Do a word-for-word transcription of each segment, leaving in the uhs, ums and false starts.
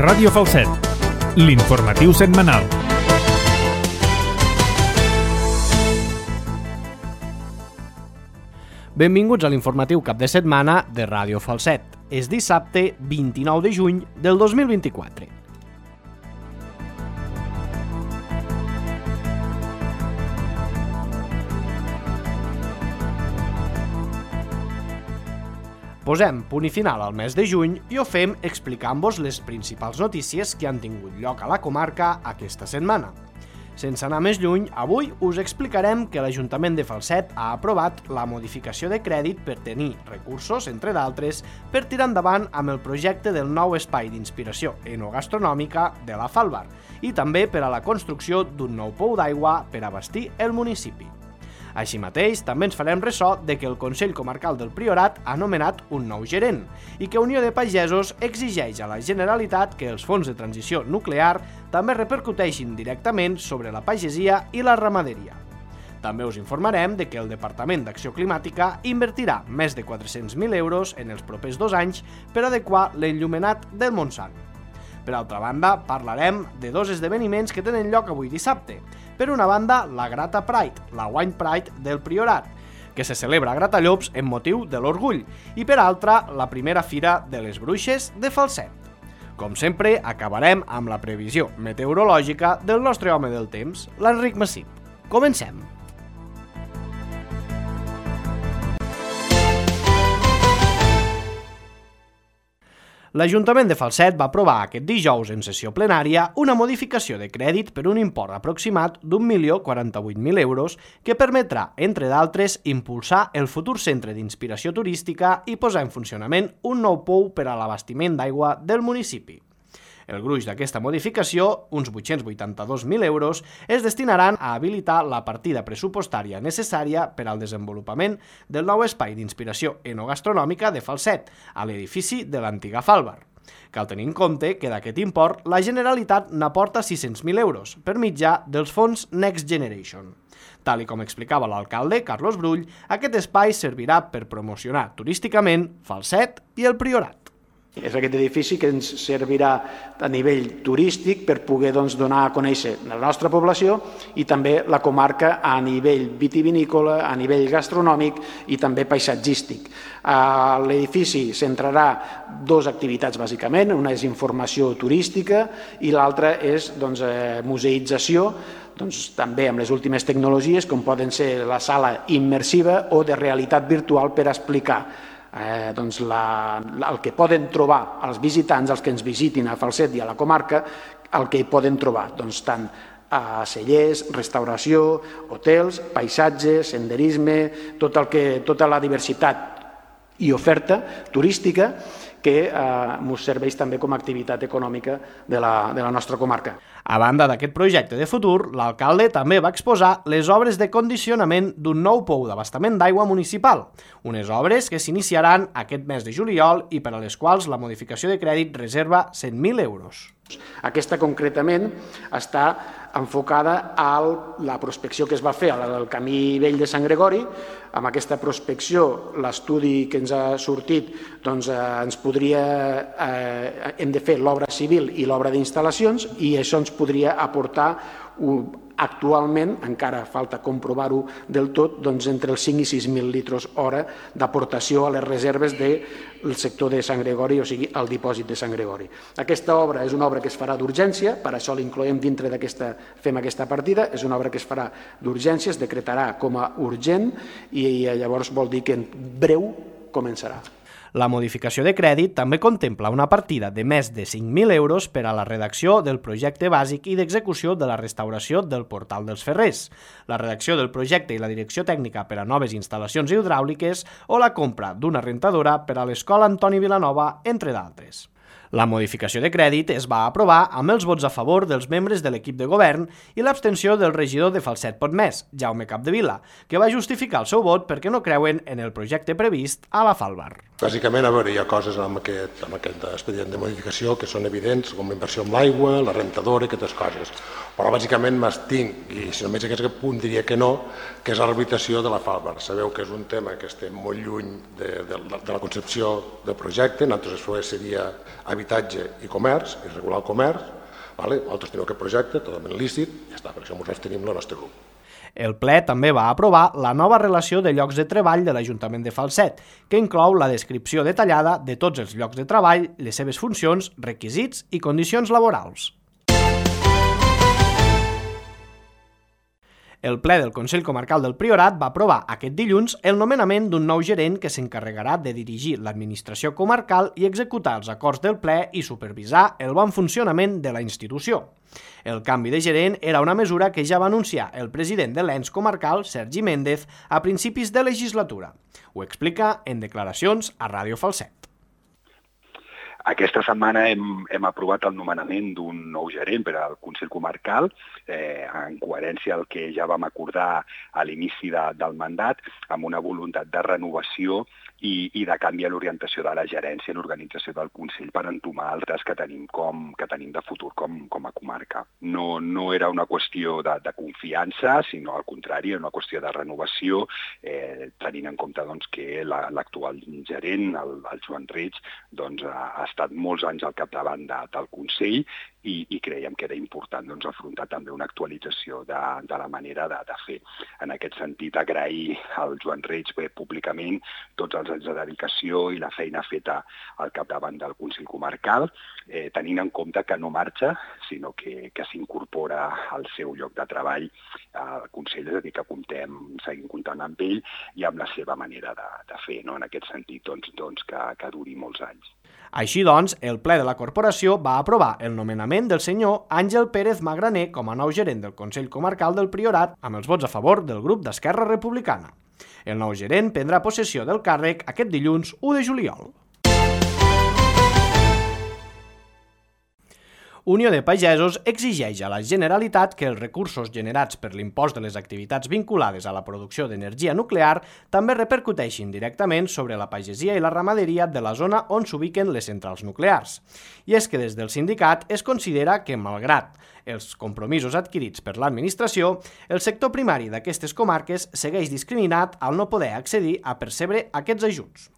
Ràdio Falset, l'informatiu setmanal. Benvinguts a l'informatiu cap de setmana de Ràdio Falset. És dissabte vint-i-nou de juny del dos mil vint-i-quatre. Posem punt i final al mes de juny i ho fem explicant-vos les principals notícies que han tingut lloc a la comarca aquesta setmana. Sense anar més lluny, avui us explicarem que l'Ajuntament de Falset ha aprovat la modificació de crèdit per tenir recursos, entre d'altres, per tirar endavant amb el projecte del nou espai d'inspiració enogastronòmica de la Falbar i també per a la construcció d'un nou pou d'aigua per abastir el municipi. Així mateix, també ens farem ressò de que el Consell Comarcal del Priorat ha nomenat un nou gerent i que Unió de Pagesos exigeix a la Generalitat que els fons de transició nuclear també repercuteixin directament sobre la pagesia i la ramaderia. També us informarem de que el Departament d'Acció Climàtica invertirà més de quatre-cents mil euros en els propers dos anys per adequar l'enllumenat del Montsant. Per altra banda, parlarem de dos esdeveniments que tenen lloc avui dissabte. Per una banda, la Grata Pride, la Wine Pride del Priorat, que se celebra a Gratallops en motiu de l'orgull, i per altra, la primera fira de les Bruixes de Falset. Com sempre, acabarem amb la previsió meteorològica del nostre home del temps, l'Enric Massip. Comencem! L'Ajuntament de Falset va aprovar aquest dijous en sessió plenària una modificació de crèdit per un import aproximat d'un milió quaranta-vuit mil euros que permetrà, entre d'altres, impulsar el futur centre d'inspiració turística i posar en funcionament un nou pou per a l'abastiment d'aigua del municipi. El gruix d'aquesta modificació, uns vuit-cents vuitanta-dos mil euros, es destinaran a habilitar la partida pressupostària necessària per al desenvolupament del nou espai d'inspiració enogastronòmica de Falset, a l'edifici de l'antiga Falbar. Cal tenir en compte que d'aquest import la Generalitat n'aporta sis-cents mil euros per mitjà dels fons Next Generation. Tal i com explicava l'alcalde Carlos Brull, aquest espai servirà per promocionar turísticament Falset i el Priorat. És aquest edifici que ens servirà a nivell turístic per poder doncs, donar a conèixer la nostra població i també la comarca a nivell vitivinícola, a nivell gastronòmic i també paisatgístic. L'edifici centrarà dues activitats bàsicament, una és informació turística i l'altra és doncs, museïtzació, doncs, també amb les últimes tecnologies com poden ser la sala immersiva o de realitat virtual per explicar Eh, doncs la, el que poden trobar els visitants, els que ens visitin a Falset i a la comarca, el que hi poden trobar, doncs tant a cellers, restauració, hotels, paisatge, senderisme, tot el que, tota la diversitat i oferta turística que ens eh, serveix també com a activitat econòmica de la, de la nostra comarca. A banda d'aquest projecte de futur, l'alcalde també va exposar les obres de condicionament d'un nou pou d'abastament d'aigua municipal, unes obres que s'iniciaran aquest mes de juliol i per a les quals la modificació de crèdit reserva cent mil euros. Aquesta concretament està enfocada a la prospecció que es va fer al camí vell de Sant Gregori. Amb aquesta prospecció, l'estudi que ens ha sortit, doncs, eh, ens podria, eh, hem de fer l'obra civil i l'obra d'instal·lacions i això ens podria aportar un, actualment, encara falta comprovar-ho del tot, doncs entre els cinc i sis mil litres hora d'aportació a les reserves del sector de Sant Gregori, o sigui, al dipòsit de Sant Gregori. Aquesta obra és una obra que es farà d'urgència, per això l'incloem dintre d'aquesta, fem aquesta partida, és una obra que es farà d'urgència, es decretarà com a urgent i llavors vol dir que en breu començarà. La modificació de crèdit també contempla una partida de més de cinc mil euros per a la redacció del projecte bàsic i d'execució de la restauració del Portal dels Ferrers, la redacció del projecte i la direcció tècnica per a noves instal·lacions hidràuliques o la compra d'una rentadora per a l'Escola Antoni Vilanova, entre d'altres. La modificació de crèdit es va aprovar amb els vots a favor dels membres de l'equip de govern i l'abstenció del regidor de Falset Potmès, Jaume Capdevila, que va justificar el seu vot perquè no creuen en el projecte previst a la Falbar. Bàsicament, a veure, hi ha coses amb aquest, amb aquest expedient de modificació que són evidents, com la inversió en l'aigua, la rentadora i aquestes coses. Però bàsicament m'estinc, i si només aquest punt diria que no, que és la rehabilitació de la Falbar. Sabeu que és un tema que estem molt lluny de, de, de la concepció del projecte, nosaltres això seria habitatge i comerç, i regular el comerç. Nosaltres tenim aquest projecte totalment lícit, i ja està, per això nosaltres tenim el nostre grup. El ple també va aprovar la nova relació de llocs de treball de l'Ajuntament de Falset, que inclou la descripció detallada de tots els llocs de treball, les seves funcions, requisits i condicions laborals. El ple del Consell Comarcal del Priorat va aprovar aquest dilluns el nomenament d'un nou gerent que s'encarregarà de dirigir l'administració comarcal i executar els acords del ple i supervisar el bon funcionament de la institució. El canvi de gerent era una mesura que ja va anunciar el president de l'ens comarcal, Sergi Méndez, a principis de legislatura. Ho explica en declaracions a Ràdio Falset. Aquesta setmana hem, hem aprovat el nomenament d'un nou gerent per al Consell Comarcal, eh, en coherència al que ja vam acordar a l'inici de, del mandat, amb una voluntat de renovació i, i de canvi a l'orientació de la gerència i l'organització del Consell per entomar altres que tenim, com, que tenim de futur com, com a comarca. No, no era una qüestió de, de confiança, sinó al contrari, era una qüestió de renovació, eh, tenint en compte doncs, que l'actual gerent, el, el Joan Reig, doncs, ha, ha estat molts anys al capdavant de, del Consell i, i creiem que era important doncs, afrontar també una actualització de, de la manera de, de fer. En aquest sentit, agrair al Joan Reig bé, públicament tots els anys de dedicació i la feina feta al capdavant del Consell Comarcal, eh, tenint en compte que no marxa, sinó que, que s'incorpora al seu lloc de treball al Consell, és a dir, que comptem, seguim comptant amb ell i amb la seva manera de, de fer, no? En aquest sentit, doncs, doncs que, que duri molts anys. Així doncs, el ple de la corporació va aprovar el nomenament del senyor Àngel Pérez Magraner com a nou gerent del Consell Comarcal del Priorat amb els vots a favor del grup d'Esquerra Republicana. El nou gerent prendrà possessió del càrrec aquest dilluns u de juliol. Unió de Pagesos exigeix a la Generalitat que els recursos generats per l'impost de les activitats vinculades a la producció d'energia nuclear també repercuteixin directament sobre la pagesia i la ramaderia de la zona on s'ubiquen les centrals nuclears. I és que des del sindicat es considera que, malgrat els compromisos adquirits per l'administració, el sector primari d'aquestes comarques segueix discriminat al no poder accedir a percebre aquests ajuts.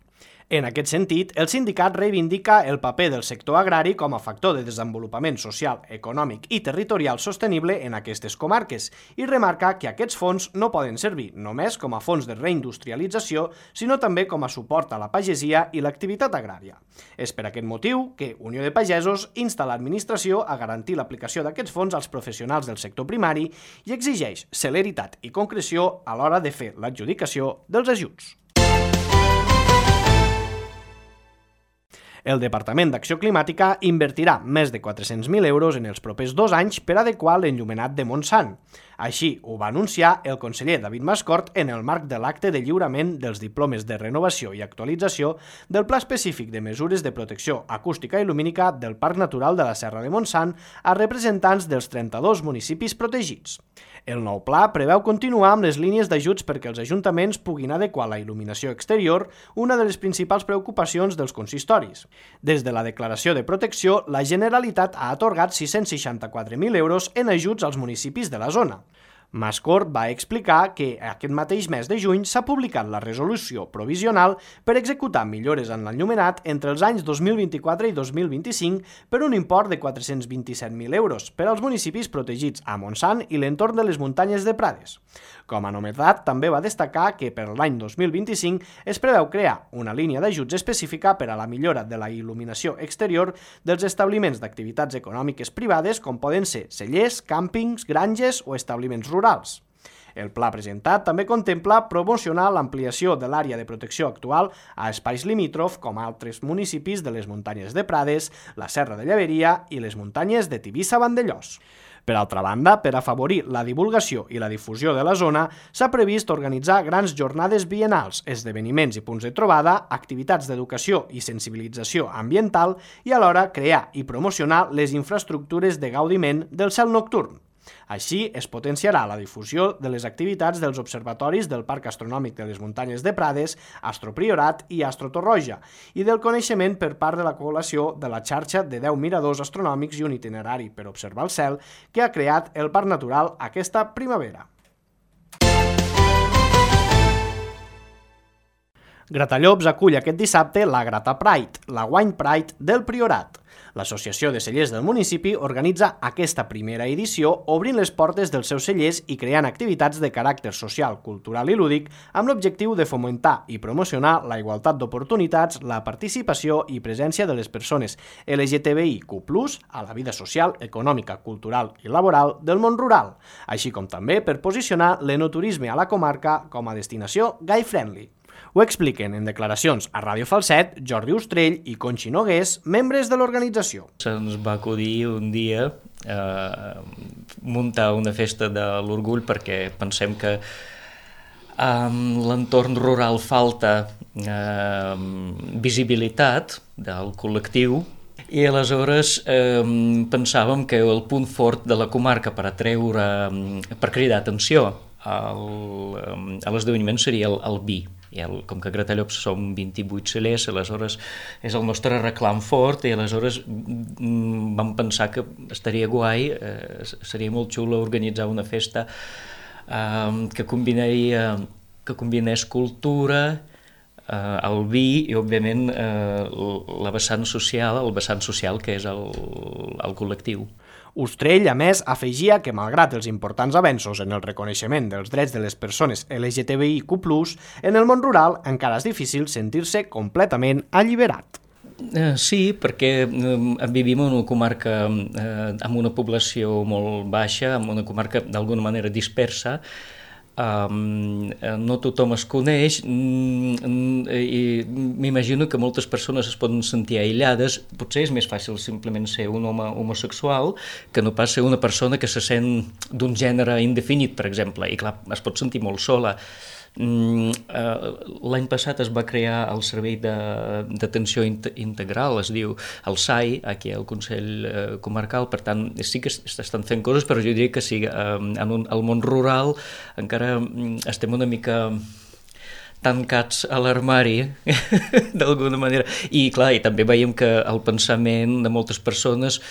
En aquest sentit, el sindicat reivindica el paper del sector agrari com a factor de desenvolupament social, econòmic i territorial sostenible en aquestes comarques i remarca que aquests fons no poden servir només com a fons de reindustrialització, sinó també com a suport a la pagesia i l'activitat agrària. És per aquest motiu que Unió de Pagesos insta l'administració a garantir l'aplicació d'aquests fons als professionals del sector primari i exigeix celeritat i concreció a l'hora de fer l'adjudicació dels ajuts. El Departament d'Acció Climàtica invertirà més de quatre-cents mil euros en els propers dos anys per adequar l'enllumenat de Montsant. Així ho va anunciar el conseller David Mascort en el marc de l'acte de lliurament dels diplomes de renovació i actualització del Pla Específic de Mesures de Protecció Acústica i Lumínica del Parc Natural de la Serra de Montsant a representants dels trenta-dos municipis protegits. El nou pla preveu continuar amb les línies d'ajuts perquè els ajuntaments puguin adequar la il·luminació exterior, una de les principals preocupacions dels consistoris. Des de la declaració de protecció, la Generalitat ha atorgat sis-cents seixanta-quatre mil euros en ajuts als municipis de la zona. Mascort va explicar que aquest mateix mes de juny s'ha publicat la resolució provisional per executar millores en l'enllumenat entre els anys dos mil vint-i-quatre i dos mil vint-i-cinc per un import de quatre-cents vint-i-set mil euros per als municipis protegits a Montsant i l'entorn de les muntanyes de Prades. Com a novetat, també va destacar que per l'any dos mil vint-i-cinc es preveu crear una línia d'ajuts específica per a la millora de la il·luminació exterior dels establiments d'activitats econòmiques privades com poden ser cellers, càmpings, granges o establiments rurals. rurals. El pla presentat també contempla promocionar l'ampliació de l'àrea de protecció actual a espais limítrof com altres municipis de les muntanyes de Prades, la Serra de Llaveria i les muntanyes de Tivissa-Vandellós. Per altra banda, per afavorir la divulgació i la difusió de la zona, s'ha previst organitzar grans jornades biennals, esdeveniments i punts de trobada, activitats d'educació i sensibilització ambiental i alhora crear i promocionar les infraestructures de gaudiment del cel nocturn. Així, es potenciarà la difusió de les activitats dels observatoris del Parc Astronòmic de les Muntanyes de Prades, Astropriorat i Astrotorroja, i del coneixement per part de la població de la xarxa de deu miradors astronòmics i un itinerari per observar el cel que ha creat el Parc Natural aquesta primavera. Gratallops acull aquest dissabte la Grata Pride, la Wine Pride del Priorat. L'Associació de Cellers del municipi organitza aquesta primera edició obrint les portes dels seus cellers i creant activitats de caràcter social, cultural i lúdic amb l'objectiu de fomentar i promocionar la igualtat d'oportunitats, la participació i presència de les persones L G T B I Q plus, a la vida social, econòmica, cultural i laboral del món rural, així com també per posicionar l'enoturisme a la comarca com a destinació gay-friendly. Ho expliquen en declaracions a Ràdio Falset Jordi Ostrell i Conxi Nogués, membres de l'organització. Se'ns va acudir un dia eh, muntar una festa de l'orgull perquè pensem que en l'entorn rural falta eh, visibilitat del col·lectiu i aleshores eh, pensàvem que el punt fort de la comarca per atreure, per cridar atenció al, a l'esdeveniment seria el, el vi. I el, com que a Gratallops som vint-i-vuit cellers, aleshores és el nostre reclam fort i aleshores mm, vam pensar que estaria guai, eh, seria molt xulo organitzar una festa eh, que combinaria, que combinés cultura, eh, el vi i òbviament eh, la vessant social, el vessant social que és el, el col·lectiu. Ostrell, a més, afegia que, malgrat els importants avenços en el reconeixement dels drets de les persones L G T B I Q plus, en el món rural encara és difícil sentir-se completament alliberat. Eh, sí, perquè eh, vivim en una comarca eh, amb una població molt baixa, amb una comarca d'alguna manera dispersa. Um, no tothom es coneix mm, i m'imagino que moltes persones es poden sentir aïllades. Potser és més fàcil simplement ser un home homosexual que no pas ser una persona que se sent d'un gènere indefinit, per exemple, i clar, es pot sentir molt sola. Mm, uh, l'any passat es va crear el Servei d'Atenció Integral, es diu el S A I, aquí al Consell uh, Comarcal, per tant sí que s'estan fent coses, però jo diria que sí, uh, en un, al món rural encara um, estem una mica tancats a l'armari, d'alguna manera. I clar, i també veiem que el pensament de moltes persones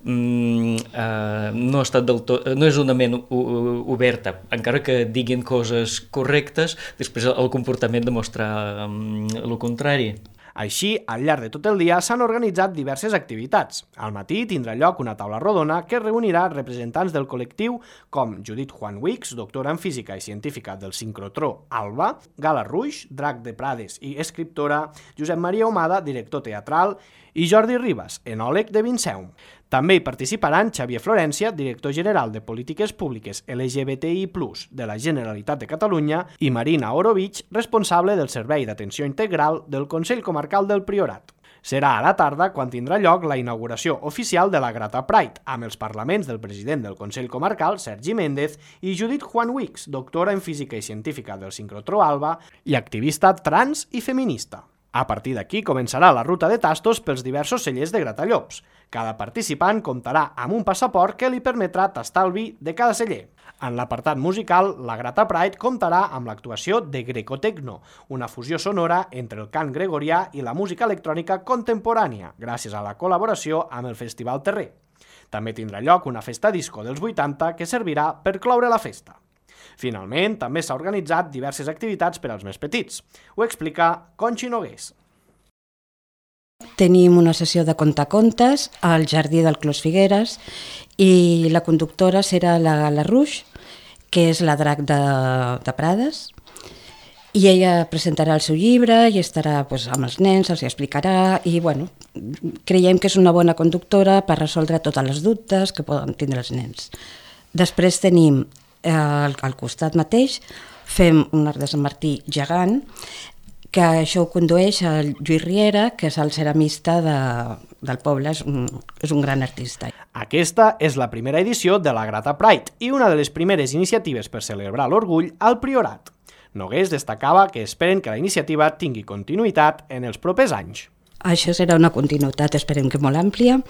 mm, eh, no, ha estat del tot, no és una ment oberta, encara que diguin coses correctes, després el comportament demostra mm, el contrari. Així, al llarg de tot el dia s'han organitzat diverses activitats. Al matí tindrà lloc una taula rodona que reunirà representants del col·lectiu com Judit Juan Wicks, doctora en física i científica del sincrotró ALBA, Gala Ruix, drac de Prades i escriptora, Josep Maria Humada, director teatral, i Jordi Ribas, enòleg de Vinceum. També hi participaran Xavier Florencia, director general de Polítiques Públiques L G B T I plus, de la Generalitat de Catalunya, i Marina Orovich, responsable del Servei d'Atenció Integral del Consell Comarcal del Priorat. Serà a la tarda quan tindrà lloc la inauguració oficial de la Grata Pride, amb els parlaments del president del Consell Comarcal, Sergi Méndez, i Judit Juan Wicks, doctora en física i científica del sincrotró ALBA i activista trans i feminista. A partir d'aquí començarà la ruta de tastos pels diversos cellers de Gratallops. Cada participant comptarà amb un passaport que li permetrà tastar el vi de cada celler. En l'apartat musical, la Grata Pride comptarà amb l'actuació de Grecotecno, una fusió sonora entre el cant gregorià i la música electrònica contemporània, gràcies a la col·laboració amb el Festival Terrer. També tindrà lloc una festa disco dels vuitanta que servirà per cloure la festa. Finalment, també s'ha organitzat diverses activitats per als més petits. Ho explica Conxi Nogués. Tenim una sessió de contacontes al Jardí del Clos Figueres i la conductora serà la Gala Ruix, que és la drac de, de Prades, i ella presentarà el seu llibre i estarà pues, amb els nens, els explicarà i bueno, creiem que és una bona conductora per resoldre totes les dubtes que poden tindre els nens. Després tenim Al, al costat mateix fem un arc de Sant Martí gegant, que això ho condueix el Lluís Riera, que és el ceramista de, del poble, és un, és un gran artista. Aquesta és la primera edició de la Grata Pride i una de les primeres iniciatives per celebrar l'orgull al Priorat. Nogués destacava que esperen que la iniciativa tingui continuïtat en els propers anys. Això serà una continuïtat, esperem que molt àmplia,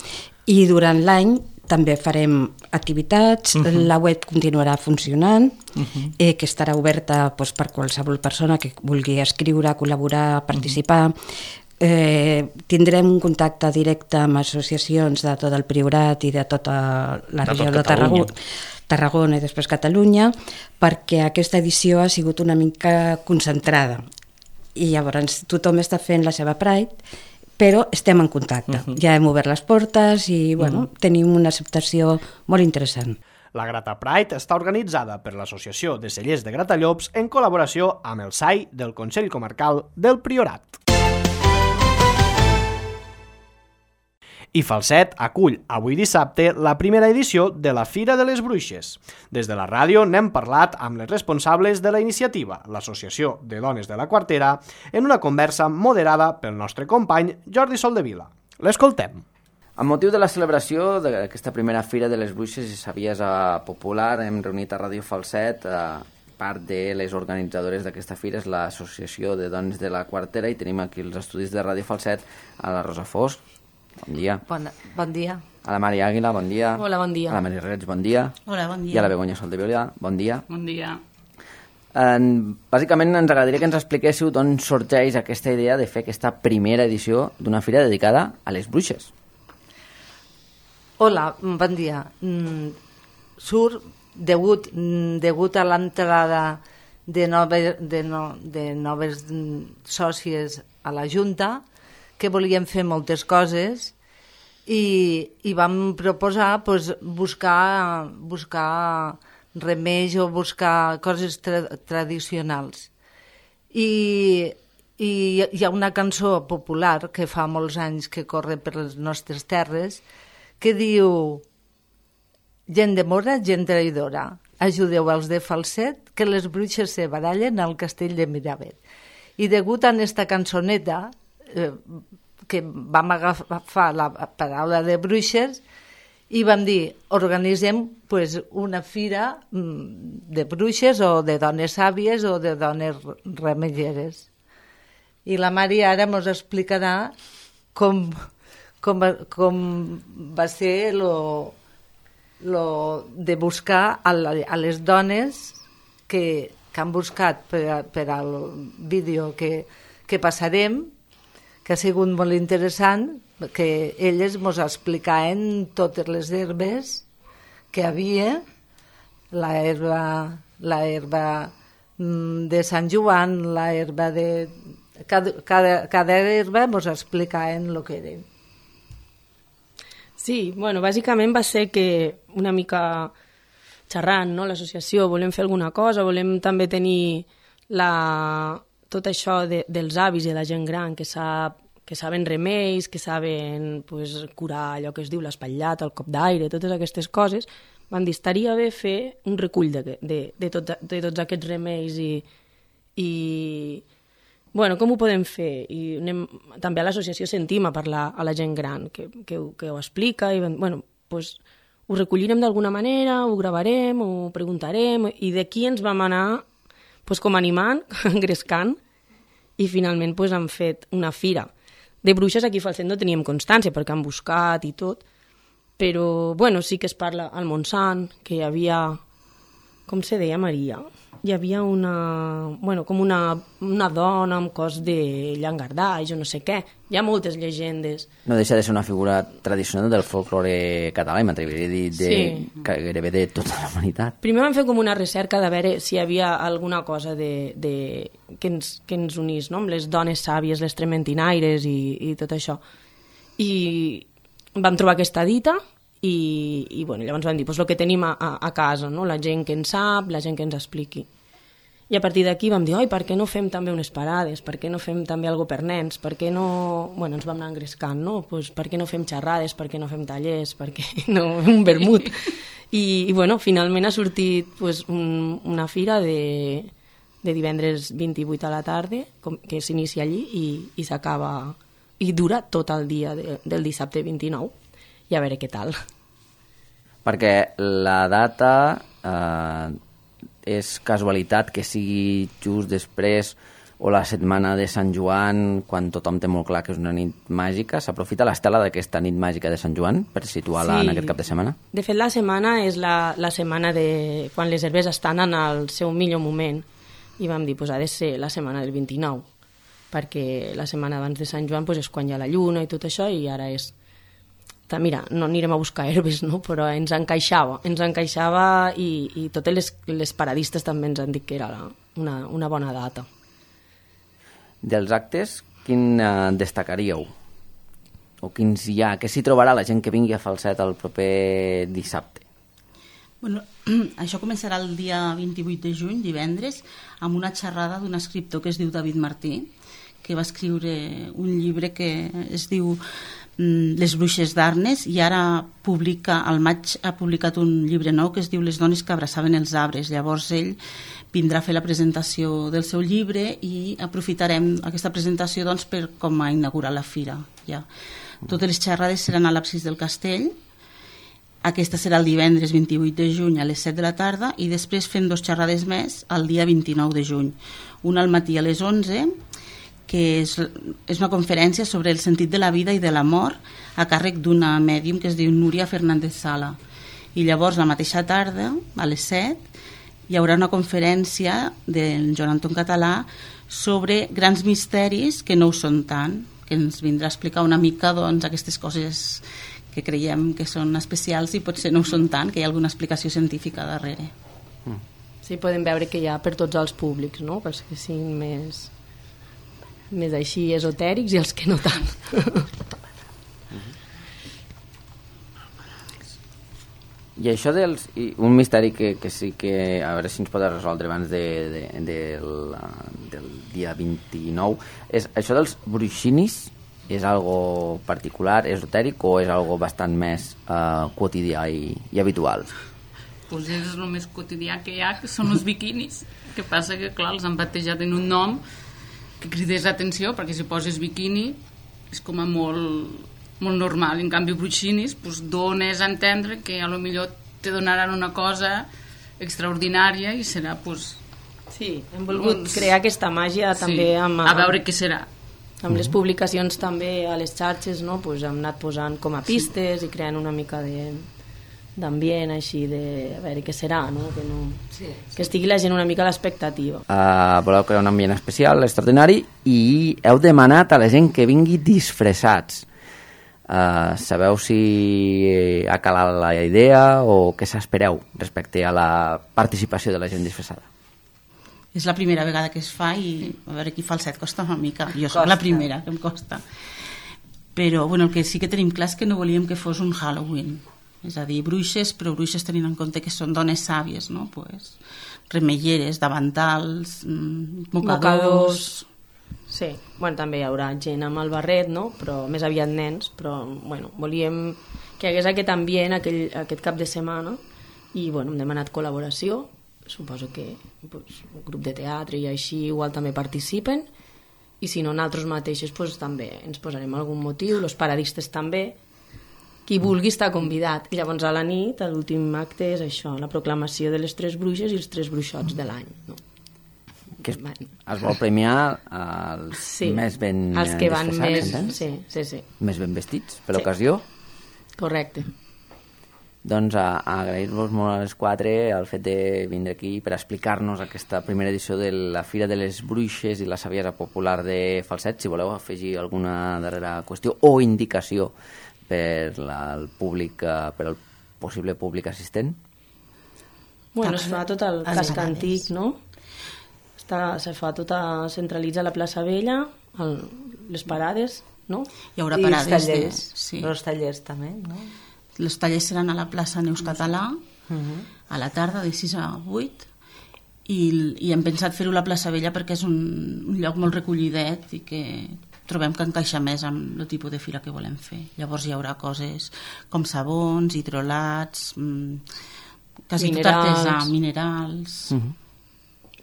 i durant l'any també farem activitats, uh-huh. La web continuarà funcionant, uh-huh. eh, que estarà oberta doncs, per qualsevol persona que vulgui escriure, col·laborar, participar. Uh-huh. Eh, tindrem un contacte directe amb associacions de tot el Priorat i de tota la regió de Tarragona, Tarragona i després Catalunya, perquè aquesta edició ha sigut una mica concentrada. i llavors tothom està fent la seva Pride, però estem en contacte. Uh-huh. Ja hem obert les portes i bueno, uh-huh. tenim una acceptació molt interessant. La Grata Pride està organitzada per l'Associació de Cellers de Gratallops en col·laboració amb el S A I del Consell Comarcal del Priorat. I Falset acull avui dissabte la primera edició de la Fira de les Bruixes. Des de la ràdio n'hem parlat amb les responsables de la iniciativa, l'Associació de Dones de la Quartera, en una conversa moderada pel nostre company Jordi Soldevila. L'escoltem. Amb motiu de la celebració d'aquesta primera Fira de les Bruixes i Saviesa Popular, hem reunit a Ràdio Falset a part de les organitzadores d'aquesta fira, és l'Associació de Dones de la Quartera, i tenim aquí els estudis de Ràdio Falset a la Rosa Fosc. Bon dia. Bon, bon dia. A la Mari Àguila, bon dia. Hola, bon dia. A la Mari Reig, bon dia. Hola, bon dia. I a la Begoña Soldevila, bon dia. Bon dia. En, bàsicament ens agradaria que ens expliquéssiu d'on sorgeix aquesta idea de fer aquesta primera edició d'una fira dedicada a les bruixes. Hola, bon dia. Mm, surt degut, degut a l'entrada de, nove, de, no, de noves sòcies a la Junta, que volíem fer moltes coses i, i vam proposar pues, buscar, buscar remeis o buscar coses tra tradicionals. I, I hi ha una cançó popular que fa molts anys que corre per les nostres terres que diu: gent de mora, gent traïdora, ajudeu els de Falset que les bruixes se barallen al castell de Miravet. I degut a aquesta cançoneta eh, que vam agafar la paraula de bruixes i vam dir, organitzem pues, una fira de bruixes o de dones sàvies o de dones remeieres. I la Mari ara ens explicarà com, com, com va ser lo, lo de buscar a, la, a les dones que, que han buscat per, per al vídeo que, que passarem, que ha sigut molt interessant, que elles ens explicaven totes les herbes que hi havia, la herba, la herba de Sant Joan, la herba de... Cada, cada, cada herba ens explicaven el que eren. Sí, bueno, bàsicament va ser que una mica xerrant, no?, l'associació, volem fer alguna cosa, volem també tenir la... tot això de, dels avis i de la gent gran que, sap, que saben remeis, que saben pues, curar allò que es diu l'espatllat, el cop d'aire, totes aquestes coses, van dir, estaria bé fer un recull de, de, de, tot, de tots aquests remeis i, i bueno, com ho podem fer? I anem, també a l'associació sentim a parlar a la gent gran que, que, que ho explica i bueno, pues, ho recollirem d'alguna manera, ho gravarem, ho preguntarem i d'aquí ens vam anar pues, com animant, engrescant, i finalment pues, han fet una fira. De bruixes aquí a Falset no teníem constància perquè han buscat i tot, però bueno, sí que es parla al Montsant, que hi havia, com se deia Maria? Hi havia una, bueno, com una, una dona amb cos de llangardaix o no sé què. Hi ha moltes llegendes. No deixa de ser una figura tradicional del folklore català, i m'atreviria a dir de, sí. gairebé de tota la humanitat. Primer vam fer com una recerca de veure si hi havia alguna cosa de, de, que, ens, que ens unís, no?, amb les dones sàvies, les trementinaires i, i tot això. I vam trobar aquesta dita i, i bueno, llavors vam dir pues, el que tenim a, a, a casa, no?, la gent que en sap, la gent que ens expliqui. I a partir d'aquí vam dir, oi, per què no fem també unes parades? Per què no fem també alguna per nens? Per què no... Bueno, ens vam anar engrescant, no? Pues, per què no fem xerrades? Per què no fem tallers? Per què no un vermut? I, i bueno, finalment ha sortit pues, un, una fira de, de divendres vint-i-vuit a la tarda, com, que s'inicia allí i, i s'acaba... I dura tot el dia de, del dissabte vint-i-nou. I a veure què tal. Perquè la data... Eh... és casualitat que sigui just després o la setmana de Sant Joan, quan tothom té molt clar que és una nit màgica. S'aprofita l'estela d'aquesta nit màgica de Sant Joan per situar-la sí. en aquest cap de setmana? De fet, la setmana és la, la setmana de quan les herbes estan en el seu millor moment. I vam dir, pues, ha de ser la setmana del vint-i-nou, perquè la setmana abans de Sant Joan pues, és quan hi ha la lluna i tot això, i ara és... Mira, no anirem a buscar herbes, no? Però ens encaixava, ens encaixava i, i totes les, les paradistes també ens han dit que era una, una bona data. dels actes, quin eh, destacaríeu? O quins hi ha? Què s'hi trobarà la gent que vingui a Falset el proper dissabte? Bueno, això començarà el dia vint-i-vuit de juny, divendres, amb una xerrada d'un escriptor que es diu David Martí, que va escriure un llibre que es diu Les bruixes d'Arnes, i ara publica, al maig ha publicat un llibre nou que es diu Les dones que abraçaven els arbres. Llavors ell vindrà a fer la presentació del seu llibre i aprofitarem aquesta presentació doncs, per com a inaugurar la fira. Ja. Totes les xerrades seran a l'absis del castell. Aquesta serà el divendres vint-i-vuit de juny a les set de la tarda i després fem dos xerrades més el dia vint-i-nou de juny. Una al matí a les onze, que és, és una conferència sobre el sentit de la vida i de la mort a càrrec d'una mèdium que es diu Núria Fernández Sala. I llavors la mateixa tarda, a les set, hi haurà una conferència del Joan Anton Català sobre grans misteris que no ho són tant, que ens vindrà a explicar una mica doncs, aquestes coses que creiem que són especials i potser no ho són tant, que hi ha alguna explicació científica darrere. Sí, podem veure que hi ha per tots els públics, no? Pels que siguin més, més així esotèrics i els que no tant. I això dels... I un misteri que, que sí que... A veure si ens pot resoldre abans de, de, de la, del dia vint-i-nou. És, això dels bruixinis és algo particular, esotèric, o és algo bastant més uh, quotidià i, i habitual? Pues és el més quotidià que hi ha, que són els biquinis. Que passa que, clar, els han batejat en un nom que cridés l'atenció, perquè si poses biquini és com a molt... molt normal. En canvi, bruixinis pues, dones a entendre que a lo millor te donaran una cosa extraordinària i serà pues, sí, hem volgut uns... crear aquesta màgia també sí, amb, a veure què serà amb les publicacions també a les xarxes, no? Pues hem anat posant com a pistes sí. i creant una mica de d'ambient així de a veure què serà, no? Que, no... Sí, sí. Que estigui la gent una mica a l'expectativa. Uh, voleu crear un ambient especial, extraordinari, i heu demanat a la gent que vingui disfressats. Uh, sabeu si ha calat la idea o què s'espereu respecte a la participació de la gent disfressada? És la primera vegada que es fa i a veure, aquí Falset costa una mica. Jo soc la primera que em costa. Però bueno, el que sí que tenim clar és que no volíem que fos un Halloween. És a dir, bruixes, però bruixes tenint en compte que són dones sàvies, no? Pues, remelleres, davantals, mocadors... mocadors. Sí, bueno, també hi haurà gent amb el barret, no? Però més aviat nens, però bueno, volíem que hi hagués aquest ambient aquell, aquest cap de setmana i bueno, hem demanat col·laboració, suposo que pues, un grup de teatre i així igual també participen i si no nosaltres mateixos pues, també ens posarem algun motiu, els paradistes també, qui vulgui està convidat. I llavors a la nit, l'últim acte és això, la proclamació de les tres bruixes i els tres bruixots de l'any, no? Que es, es vol premiar els sí, més ben els que van més, sí, sí, sí. més ben vestits per sí. l'ocasió. Correcte. Doncs a, a agrair-vos molt a les quatre el fet de vindre aquí per explicar-nos aquesta primera edició de la Fira de les Bruixes i la Saviesa Popular de Falset. Si voleu afegir alguna darrera qüestió o indicació per la, el públic, per al possible públic assistent. Bueno, es fa tot el casc antic, no? Està, se fa tota, centralitza la plaça Vella, el, les parades, no? Hi haurà parades. I els tallers, de, sí. els tallers també, no? Els tallers seran a la plaça Neus Català, uh-huh. a la tarda de sis a vuit, i, i hem pensat fer-ho a la plaça Vella perquè és un, un lloc molt recollidet i que trobem que encaixa més amb el tipus de fira que volem fer. Llavors hi haurà coses com sabons, hidrolats, mmm, quasi minerals. Tot artesà, minerals... Uh-huh.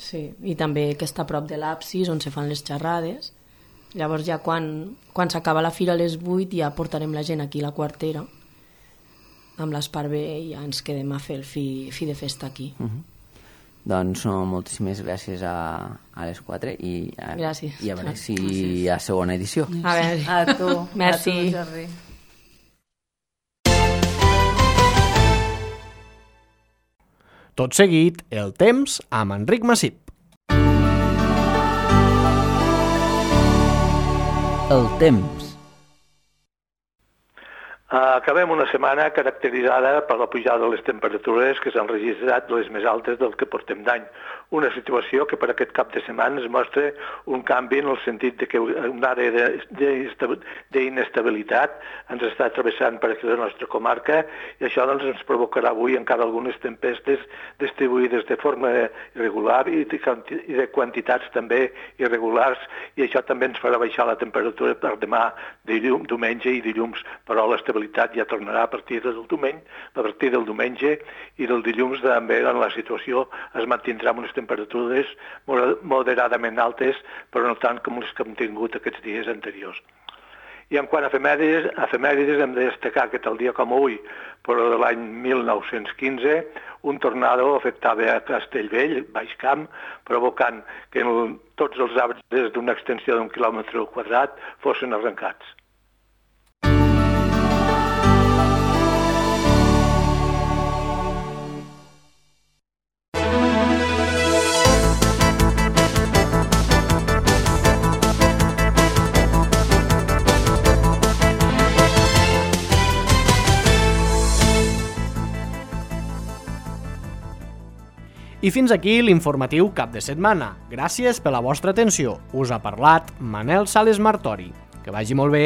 Sí, i també que està a prop de l'absis on se fan les xerrades. Llavors ja quan, quan s'acaba la fira a les vuit ja portarem la gent aquí a la quartera amb l'esparver i ja ens quedem a fer el fi, fi de festa aquí. Uh-huh. Doncs no, moltíssimes gràcies a, a les quatre i a, gràcies. I a veure si hi ha segona edició. A veure. A tu. Merci. A tu, Jordi. Tot seguit, el temps amb Enric Massip. El temps. Acabem una setmana caracteritzada per la pujada de les temperatures que s'han registrat les més altes del que portem d'any. una situació que per aquest cap de setmana es mostra un canvi en el sentit de que una àrea d'inestabilitat ens està travessant per aquí la nostra comarca i això doncs, ens provocarà avui encara algunes tempestes distribuïdes de forma irregular i de, i de quantitats també irregulars i això també ens farà baixar la temperatura per demà, dilluns, diumenge i dilluns, però l'estabilitat ja tornarà a partir del diumenge, a partir del diumenge i del dilluns també en la situació es mantindrà amb unes temperatures moderadament altes, però no tant com les que hem tingut aquests dies anteriors. I en quant a efemèrides, efemèrides hem de destacar que tal dia com avui, però de l'any mil nou-cents quinze, un tornado afectava a Castellvell, Baix Camp, provocant que tots els arbres d'una extensió d'un quilòmetre quadrat fossin arrencats. I fins aquí l'informatiu cap de setmana. Gràcies per la vostra atenció. Us ha parlat Manel Sales Martori. Que vagi molt bé.